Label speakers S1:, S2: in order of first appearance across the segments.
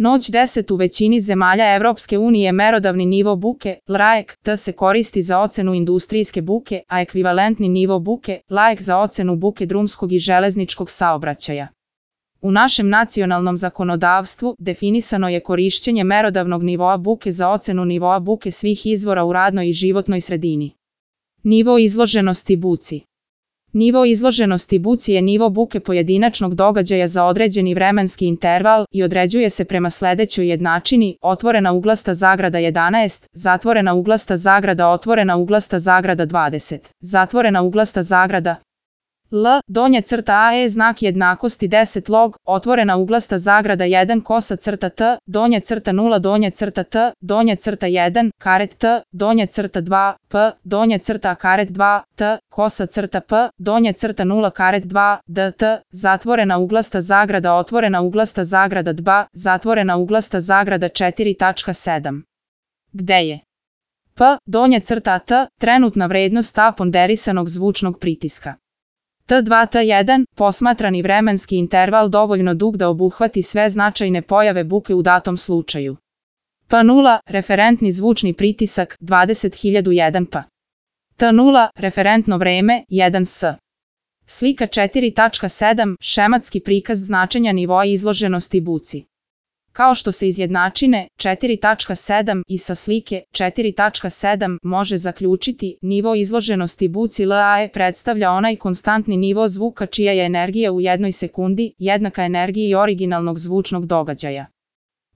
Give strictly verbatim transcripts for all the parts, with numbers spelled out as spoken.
S1: Noć deset u većini zemalja Evropske unije merodavni nivo buke, L A E C T se koristi za ocenu industrijske buke, a ekvivalentni nivo buke, L A E C za ocenu buke drumskog i železničkog saobraćaja. U našem nacionalnom zakonodavstvu definisano je korišćenje merodavnog nivoa buke za ocenu nivoa buke svih izvora u radnoj i životnoj sredini. Nivo izloženosti buci. Nivo izloženosti buci je nivo buke pojedinačnog događaja za određeni vremenski interval i određuje se prema sledećoj jednačini: otvorena uglasta zagrada jedanaest, zatvorena uglasta zagrada otvorena uglasta zagrada dvadeset, zatvorena uglasta zagrada L, donja crta A E znak jednakosti deset log, otvorena uglasta zagrada jedan kosa crta T, donja crta nula donja crta T, donja crta jedan, karet T, donja crta dva, P, donja crta karet dva, T, kosa crta P, donja crta nula karet dva, D, T, zatvorena uglasta zagrada otvorena uglasta zagrada dva, zatvorena uglasta zagrada četiri tačka sedam. Gde je P, donja crta T, trenutna vrednost A ponderisanog zvučnog pritiska. T dva T jedan, posmatrani vremenski interval dovoljno dug da obuhvati sve značajne pojave buke u datom slučaju. P nula, referentni zvučni pritisak, dvadeset hiljada jedan P. T nula, referentno vreme, jedan S. Slika četiri tačka sedam, šematski prikaz značenja nivoa izloženosti buci. Kao što se iz jednačine četiri tačka sedam i sa slike četiri tačka sedam može zaključiti, nivo izloženosti buci L A E predstavlja onaj konstantni nivo zvuka čija je energija u jednoj sekundi jednaka energiji originalnog zvučnog događaja.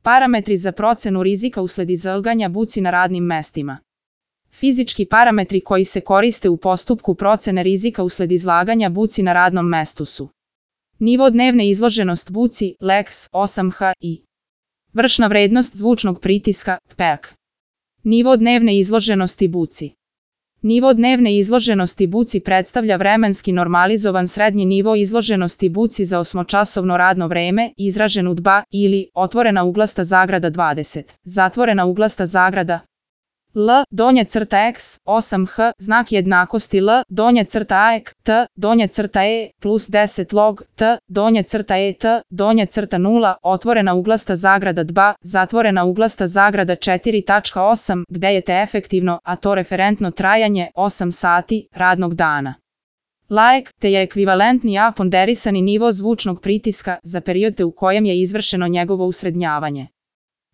S1: Parametri za procenu rizika usled izlaganja buci na radnim mestima. Fizički parametri koji se koriste u postupku procene rizika usled izlaganja buci na radnom mestu su: nivo dnevne izloženost buci, L E X osam H I. Vršna vrednost zvučnog pritiska, P E K. Nivo dnevne izloženosti buci. Nivo dnevne izloženosti buci predstavlja vremenski normalizovan srednji nivo izloženosti buci za osmočasovno radno vreme, izražen u D B A, ili otvorena uglasta zagrada dvadeset, zatvorena uglasta zagrada L, donja crta X, osam H, znak jednakosti L, donja crta A E C T, donja crta E, plus deset log, T, donja crta E T, donja crta nula, otvorena uglasta zagrada D B A, zatvorena uglasta zagrada četiri tačka osam, gde je T efektivno, a to referentno trajanje, osam sati, radnog dana. L A E C T je ekvivalentni A ponderisani nivo zvučnog pritiska za period u kojem je izvršeno njegovo usrednjavanje.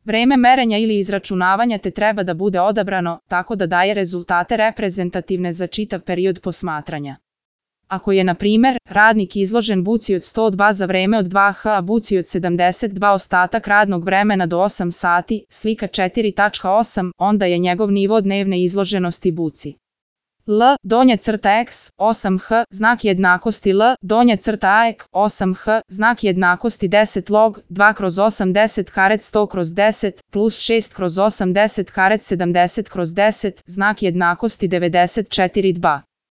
S1: Vreme merenja ili izračunavanja te treba da bude odabrano tako da daje rezultate reprezentativne za čitav period posmatranja. Ako je, na primer, radnik izložen buci od sto dva za vreme od dva H a buci od sedamdeset dva ostatak radnog vremena do osam sati, slika četiri tačka osam, onda je njegov nivo dnevne izloženosti buci L, donja crta X, osam H, znak jednakosti L, donja crta A E C, osam H, znak jednakosti deset log, dva kroz osam deset karet sto kroz deset, plus šest kroz osam deset karet sedamdeset kroz deset, znak jednakosti devedeset četiri D B A.